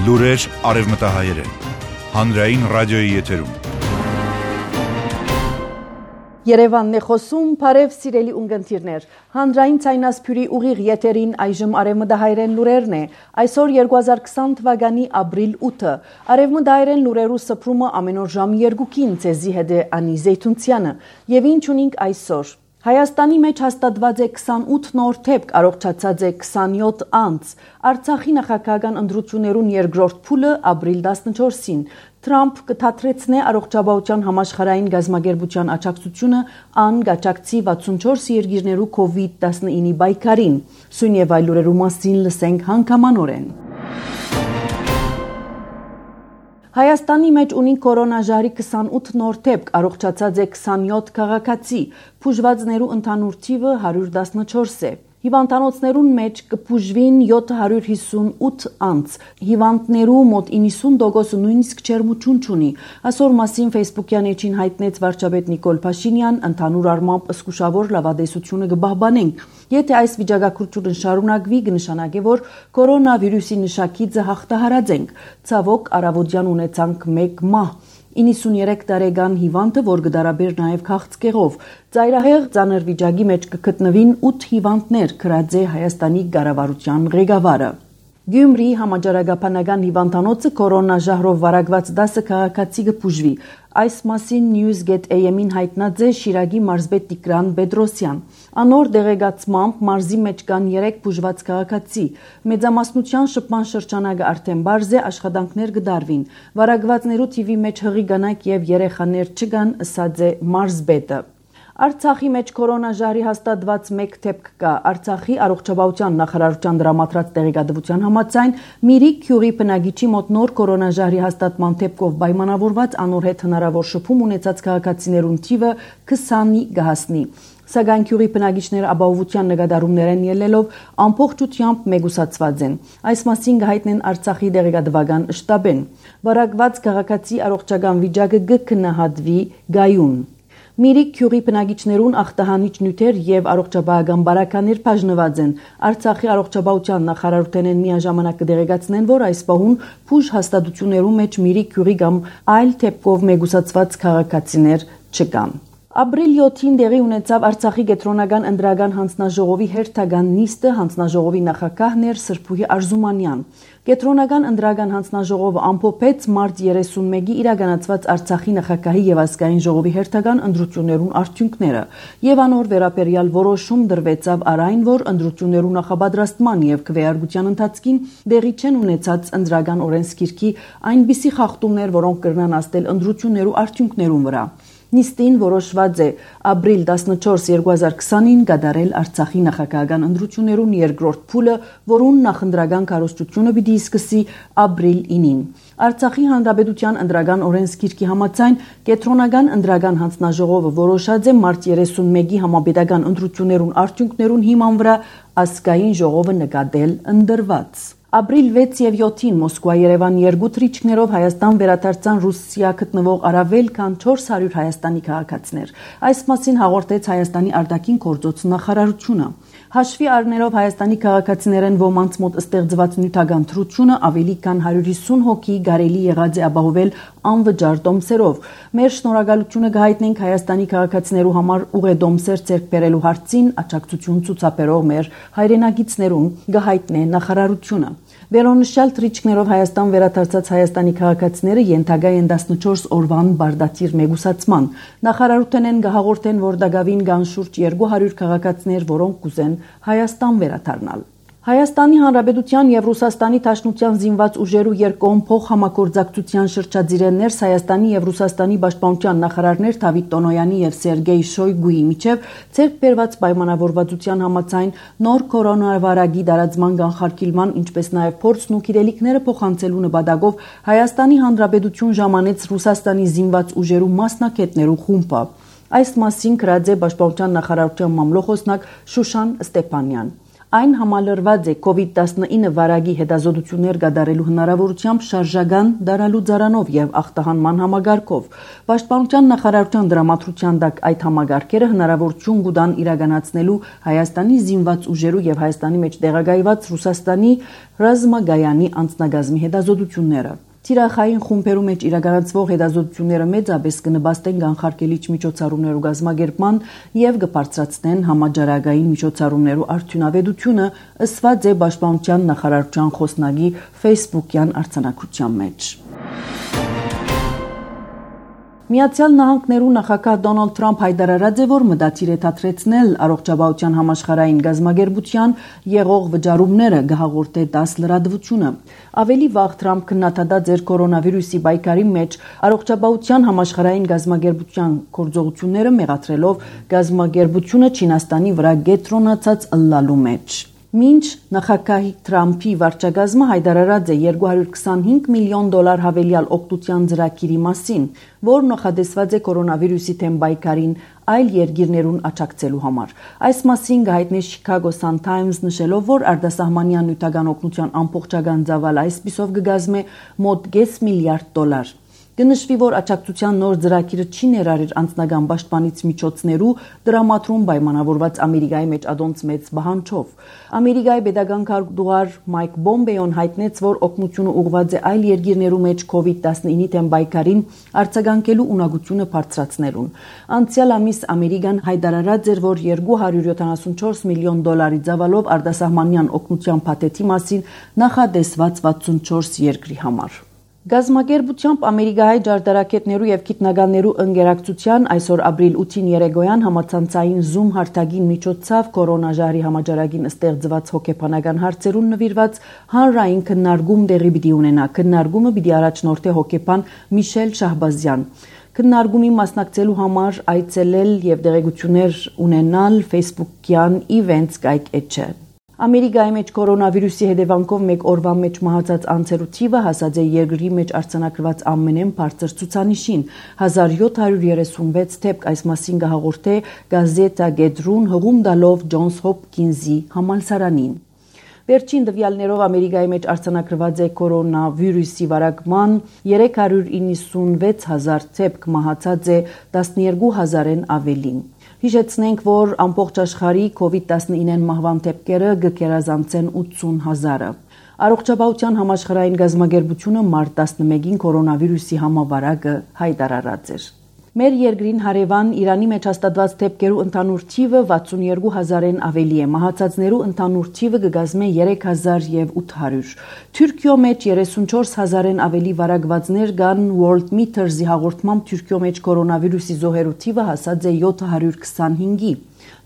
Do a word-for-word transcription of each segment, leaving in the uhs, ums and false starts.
Լուրեր արևմտահայերեն, հանրային ռադիոյի եթերում։ Երևանն է խոսում, բարև սիրելի ունգընտիրներ, հանրային ցայնասփյուրի ուղիղ եթերին այժմ արևմտահայերեն լուրերն է, այսօր երկու հազար քսան թվականի ապրիլ ութը, արևմտահայերեն լուրերու սփրումը ամեն օր ժամի երկուքին ցեզի հետ է Անի Զեյթունցյանը, եւ ինչ ունենք այսօր։ Հայաստանի մեջ հաստատված է քսանութ նոր թեփք, առողջացած է քսանյոթ անձ, Արցախի նախագահական ընտրություններուն երկրորդ փուլը ապրիլ տասնչորսին, Թրամփ կթատրեցնե առողջապահության համաշխարհային գազագերբության աջակցությունը ան գաճակցի վաթսունչորս երկիրներու կովիդ տասնինի բայկարին, սույն եւ այլ լուրերու մասին լսենք հանգամանորեն։ Հայաստանի մեջ ունի կորոնաժահրի քսանութ նոր թեփք, առողջացած է քսանյոթ քաղաքացի, բուժվածներու ընդհանուր թիվը հարյուր տասնչորս է։ Հիվանդանոցներուն մեջ կբուժվին յոթ հարյուր հիսունութ անձ, հիվանդներու մոտ իննսուն տոկոսը նույնիսկ ջերմություն չունի, այսօր մասին Facebook-յան էջին հայտնեց վարչապետ Նիկոլ Փաշինյան, ընդհանուր առմամբ զսկուշավոր լավադեսությունը կբահբանենք։ Եթե այս վիճակագրությունը շարունակվի, կնշանակի, որ կորոնավիրուսի նշակիցը հաղթահարած ենք, ցավոք առավոտյան ունեցանք մեկ մահ, իննսուներեք տարեկան հիվանդը, որ կդարաբեր նաև քաղցկեղով, ծայրահեղ ծանր վիճակի մեջ կգտնվին ութ հիվանդներ, գրած է Հայաստանի կառավարության ղեկավարը։ Գյումրի համաճարակաբանական հիվանդանոցը կորոնաժահրով վարակված դասը քաղաքացի կբուժվի։ Այս մասին News.am-ին հայտնած է Շիրակի մարզպետ Տիգրան Պետրոսյան։ Անոր դեղեկացմամբ մարզի մեջ կան երեք բուժված քաղաքացի։ Մեծամասնության շփման շրջանակը արդեն բարձ է, աշխատանքներ կդարվին։ Վարակվածներու թիվի մեջ հղի կանայք եւ երեխաներ չկան, ըսած է մարզպետը։ Արցախի մեջ կորոնաժահրի հաստատված մեկ թեփք կա։ Արցախի առողջապահության նախարարության դրամատրած տեղեկատվության համաձայն Միրիկ Քյուրի բնակիչի մոտ նոր կորոնաժահրի հաստատման թեփքով պայմանավորված անոր հետ հնարավոր շփում ունեցած քաղաքացիներուն թիվը քսանի կհասնի։ Սակայն Քյուրի բնակիչները ապահովության նկատառումներեն ելնելով ամբողջությամբ մեգուսացված են։ Այս մասին կհայտնեն Արցախի տեղեկատվական շտաբեն։ Վարակված քաղաքացի առողջական վիճակը կքննադատվի գայուն։ Միրիկ Քյուրի բնակիչներուն ախտահանիչ նյութեր եւ առողջապահական բարականեր բաժնված են։ Արցախի առողջապահության նախարարութենեն միաժամանակ կդեղեկացնեն, որ այս պահուն բուժ հաստատություններու մեջ Միրիկ Քյուրի կամ այլ թեփքով մեգուսացված քաղաքացիներ չկան։ Ապրիլ յոթին տեղի ունեցավ Արցախի կենտրոնական ընտրական հանձնաժողովի հերթական նիստը, հանձնաժողովի նախագահն էր Սրբուհի Արզումանյան։ Կենտրոնական ընտրական հանձնաժողովը ամփոփեց մարտ երեսունմեկի իրականացված Արցախի նախագահի եւ ազգային ժողովի հերթական ընտրություններուն արդյունքները եւ անոր վերաբերյալ որոշում դրվեցավ առայն, որ ընտրություններու նախապատրաստման եւ քվեարկության ընթացքին դեղի չեն ունեցած ընտրական օրենսգիրքի այնպիսի խախտումներ, որոնք կրնան աստել ընտրություններու արդյունքներուն վրա։ Նիստին որոշված է ապրիլ տասնչորս երկու հազար քսանին կատարել Արցախի նախագահական ընտրություններուն երկրորդ փուլը, որուն նախընտրական քարոզչությունը պիտի սկսի ապրիլ ինին։ Արցախի հանրապետության ընտրական օրենսգիրքի համաձայն կենտրոնական ընտրական հանձնաժողովը որոշած է մարտ երեսունմեկի համապետական ընտրություններուն արդյունքներուն հիման վրա ազգային ժողովը նկատել ընդրված։ Ապրիլ վեց եւ յոթին Մոսկվա-Երևան երկու թռիչքներով Հայաստան վերադարձան Ռուսիա գտնվող առավել քան չորս հարյուր Հայաստանի քաղաքացիներ։ Այս մասին հաղորդեց Հայաստանի արտաքին գործոց նախարարությունը։ Հաշվի առնելով Հայաստանի քաղաքացիներեն ոմանց մոտ ստեղծված նյութական թռությունը ավելի քան հարյուր հիսուն հոգի կարելի եղած է ապահովել անվճար տոմսերով։ Մեր շնորհակալությունը կհայտնենք Հայաստանի քաղաքացիներու համար ուղեդոմսեր ձեռք բերելու հարցին աջակցություն ցուցաբերող մեր հայրենակիցներուն, կհայտնե նախարարությունը։ Վերոնշյալ թռիչքներով Հայաստան վերադարձած Հայաստանի քաղաքացիները ենթակա են տասնչորս օրվան բարդաթիր մեգուսացման։ Նախարարութենեն կհաղորդեն, որ դակավին կան շուրջ երկու հարյուր քաղաքացիներ, որոնք կուզեն Հայաստան վերադառնալ։ Հայաստանի Հանրապետության եւ Ռուսաստանի Դաշնության զինված ուժերու երկկողմ փոխհամագործակցության շրջադիրներս Հայաստանի եւ Ռուսաստանի պաշտպանության նախարարներ Դավիթ Տոնոյանի եւ Սերգեյ Շոյգուի միջև ցերկ բերված պայմանավորվածության համաձայն նոր կորոնավիրուսի դարածման կանխարգելման, ինչպես նաեւ փորձն ու գիտելիքները փոխանցելու նպատակով Հայաստանի Հանրապետություն ժամանեց Ռուսաստանի զինված ուժերու մասնակիցներու խումբը։ Այս մասին գրած է Պաշտպանության նախարարության մամլոխոսնակ Շուշան Ստեփանյան։ Այն համալրված է կովիդ տասնինը վարակի հետազոտություններ կատարելու հնարավորությամբ շարժական դարալու ծառանով եւ ախտահանման համագարկով։ Պաշտպանության նախարարության դրամատրության տակ այդ համագարկերը հնարավորություն կտան իրականացնելու Հայաստանի զինված ուժերու եւ Հայաստանի մեջ տեղակայված Ռուսաստանի ռազմագայանի անձնագազմի հետազոտությունները։ Թիրախային խումբերու մեջ իրականացվող հետազոտությունները մեծապես կնպաստեն կանխարգելիչ միջոցառումներու կազմակերպման եւ կբարձրացնեն համաճարակային միջոցառումներու արդյունավետությունը, ըսված է Պաշտպանության նախարարության խոսնակի Facebook-յան արձանագրության մեջ։ Միացյալ Նահանգներու նախագահ Դոնալդ Թրամփ հայտարարած է, որ մտադիր է թատրեցնել առողջապահության համաշխարհային գազագերբության եղող վճարումները գահաղորդե դաս լրատվությունը։ Ավելի վաղ Թրամփ քննադատած էր կորոնավիրուսի պայքարի մեջ առողջապահության համաշխարհային գազագերբության գործողությունները մեղադրելով գազագերբությունը Չինաստանի վրա կենտրոնացած ըլլալու մեջ։ Մինչ նախագահ Թրամփի վարչակազմը հայտարարած է երկու հարյուր քսանհինգ միլիոն դոլար հավելյալ օգտության ծրագիրի մասին, որ նախադեсված է կորոնավիրուսի դեմ պայքարին այլ երկիրներուն աջակցելու համար։ Այս մասին գայտնի Chicago Sun-Times նշելով, որ արտասահմանյան նյութական օգնության ամբողջական ծավալը այսպիսով կգազմե մոտ կես միլիարդ դոլար։ Կնշվի, որ աջակցության նոր ծրագիրը չի ներառեր անձնական պաշտպանիչ միջոցներու դրամատրում պայմանավորված Ամերիկայի մեջ ադոնց մեծ բանջով։ Ամերիկայի պետական քարտուղար Մայք Պոմպեոն հայտնեց, որ օգնությունը ուղղված է այլ երկիրներու մեջ կովիդ տասնինի դեմ պայքարին արձագանքելու ունակությունը բարձրացնելուն։ Անցյալ ամիս Ամերիկան հայտարարած էր, որ երկու հարյուր յոթանասունչորս միլիոն դոլարի ծավալով արտասահմանյան օգնության փաթեթի մասին նախադեсված վաթսունչորս երկրի համար։ Գազագերբությամբ Ամերիկայի ջարդարակետներու եւ գիտնականներու ընկերակցության այսօր ապրիլ ութին երեկոյան համացանցային Zoom հարթակին միջոցով կորոնաժահրի համաճարակին ստեղծված հոգեբանական հարցերուն նվիրված հանրային քննարկում տեղի պիտի ունենա։ Քննարկումը պիտի առաջնորդի հոգեբան Միշել Շահբազյան։ Քննարկումի մասնակցելու համար այցելել եւ տեղեկություններ ունենալ Facebook-յան Events կայքէջը։ Ամերիկայի մեջ կորոնավիրուսի հետևանքով մեկ օրվա մեջ մահացած անձերու թիվը հասած է երկրի մեջ արձանագրված ամենեն բարձր ցուցանիշին հազար յոթ հարյուր երեսունվեց դեպք այս մասին կհաղորդե Գազետա Գեդրուն հղում տալով Ջոնս Հոփքինզի համալսարանին։ Վերջին տվյալներով Ամերիկայի մեջ արձանագրված է կորոնավիրուսի վարակման երեք հարյուր իննսունվեց հազար դեպք, մահացած է տասնյոթ հազարեն ավելին։ Հիշեցնենք, որ ամբողջ աշխարհի կովիդ տասնինը մահվան դեպքերը կգերազանցեն ութսուն հազարը։ Առողջապահության համաշխարհային գազագերբությունը մարտ տասնմեկին կորոնավիրուսի համավարակը հայտարարած էր։ Մեր երկրին հարևան Իրանի մեջ հաստատված դեպքերու ընդհանուր թիվը վաթսունյոթ հազարեն ավելի է, մահացածներու ընդհանուր թիվը կգազմե երեք հազար ութ հարյուր։ Թուրքիո մեջ երեսունչորս հազարեն ավելի վարակվածներ կան World Meters-ի հաղորդմամբ Թուրքիո մեջ կորոնավիրուսի զոհերու թիվը հասած է յոթ հարյուր քսանհինգի։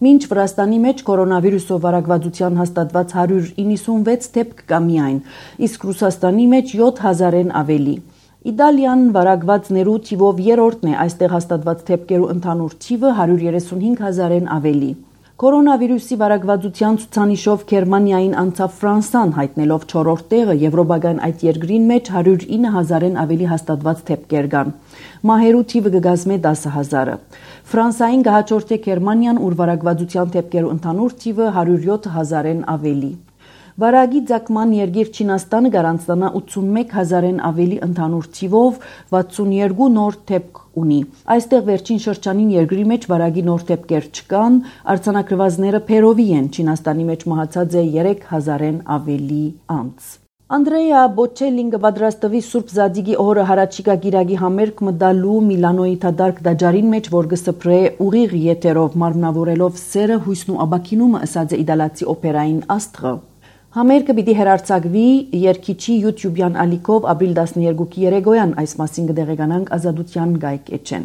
Մինչ Վրաստանի մեջ կորոնավիրուսով վարակվածության հաստատված հարյուր իննսունվեց դեպք կա միայն, իսկ Ռուսաստանի մեջ յոթ հազարեն ավելի։ Իտալիան վարակվածներու թիվով երրորդն է, այստեղ հաստատված դեպքերու ընդհանուր թիվը հարյուր երեսունհինգ հազարեն ավելի։ Կորոնավիրուսի վարակվածության ցուցանիշով Գերմանիային անցավ Ֆրանսան, հայտնելով չորրորդ տեղը, եվրոպական այդ երկրին մեջ հարյուր ինը հազարեն ավելի հաստատված դեպքեր կան։ Մահերու թիվը կգազմե տասը հազարը։ Ֆրանսային կհաջորդե Գերմանիան, ուր վարակվածության դեպքերու ընդհանուր թիվը հարյուր յոթ հազարեն ավելի։ Վարագի ցակման երկիր Չինաստանը գարանցնա ութսունմեկ հազարեն ավելի ընդհանուր թիվով վաթսունյոթ նոր դեպք ունի։ Այստեղ վերջին շրջանին երկրի մեջ վարագի նոր դեպքեր չկան, արձանագրվածները փերովի են, Չինաստանի մեջ մահացած է երեք հազարեն ավելի անձ։ Անդրեա Բոչելին կպատրաստվի Սուրբ Զադիգի օրը հարաճիկա գիրագի համերգ մտալու Միլանոյի թադարկ դաջարին մեջ, որ կսփռե ուղիղ եթերով մարմնավորելով սերը, հույսն ու աբակինումը, ըսած է իդալացի օպերային աստղը։ Համերգը պիտի հեռարձակվի երգիչի YouTube-յան ալիքով ապրիլ տասնյոթի երեկոյան, այս մասին կդեղեկանանք Ազատության կայքէջեն։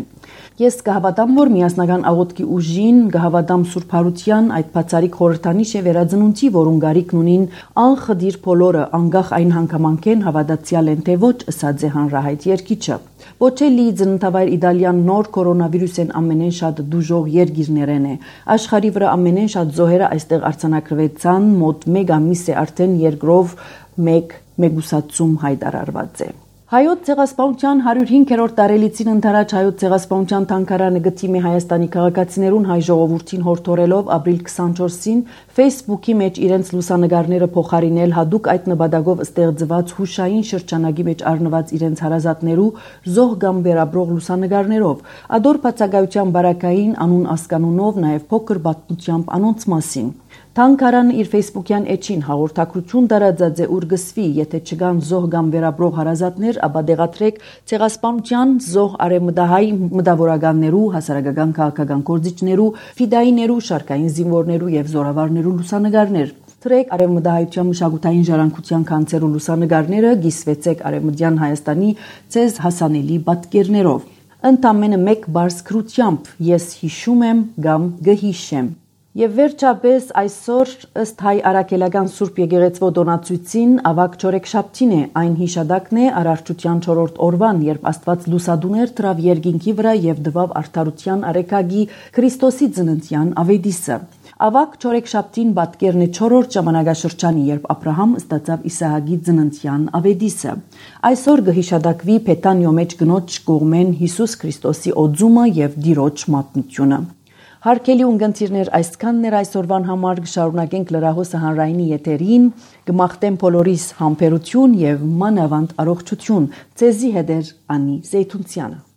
Ես կհավատամ, որ միասնական աղոթքի ուժին, կհավատամ Սուրբ Հարության, այդ բացառիկ խորհրդանիշ է վերածնունդի, որուն գարիքն ունին անխդիր բոլորը, անկախ այն հանգամանքեն հավատացյալ են թե ոչ, ըսած է հանրահայտ երգիչը։ Բոչելի ծննդավայր Իտալիան նոր կորոնավիրուսեն ամենեն շատ դուժող երկիրներեն է։ Աշխարհի վրա ամենեն շատ զոհերը այստեղ արձանագրվեցան, մոտ մեկ ամիս է արդեն երկրով մեկ մեգուսացում հայտարարված է։ Հայոց ցեղասպանության հարյուրհինգերորդ տարելիցին ընթരാճ հայոց ցեղասպանության թանգարանը գտիմի Հայաստանի քաղաքացիներուն հայ ժողովրդին հորդորելով ապրիլ քսանչորսին Facebook-ի մեջ իրենց լուսանգարները փոխարինել հadoop այդ նպատակով ստեղծված հուշային շրջանագի մեջ առնված իրենց հարազատներու զոհ կամ վերաբրող լուսանգարներով ադոր բացակայության բարակային անուն ասկանունով նաև փոքր պատմությամբ անոնց մասին Թանգարանը իր Facebook-յան էջին հաղորդակցություն տարածած է ուր գսվի, եթե չկան զոհ կամ վերաբրող հարազատներ, ապա դեղատրեք ցեղասպանության զոհ արևմտահայ մտավորականներու, հասարակական քաղաքական գործիչներու, ֆիդայիներու, շարքային զինվորներու եւ զորավարներու լուսանգարներ։ Թրեք արևմտահայության մշակութային ժառանգության կանցերու լուսանգարները գիսվեցեք արևմտյան Հայաստանի ցեզ հասանելի պատկերներով։ Ընդամենը մեկ բարձ քրությամբ ես հիշում եմ կամ գհիշեմ։ Եվ վերջապես այսօր ըստ հայ արաքելական Սուրբ Եկեղեցվո դոնացույցին ավակ չորեքշաբթին է այն հիշադակն է արարչության չորրորդ օրվան, երբ Աստված լուսադուներ դրավ երկինքի վրա եւ դվավ արդարության արեքագի Քրիստոսի ծննդյան ավետիսը։ Ավակ չորեքշաբթին պատկերն է չորրորդ ժամանակաշրջանի, երբ Աբրահամ ստացավ Իսահակի ծննդյան ավետիսը։ Այսօր գհիշադակվի Փեթանյո մեջ գնոջ կողմեն Հիսուս Քրիստոսի օծումը եւ Տիրոջ մատնությունը։ Հարկելի ունգընտիրներ այսքաններ այսօրվան համար կշարունակենք լրահոսը հանրայինի եթերին, կմաղթեմ բոլորիս համբերություն եւ մանավանդ առողջություն։ Ձեզի հետ է Անի Զեյթունցյանը։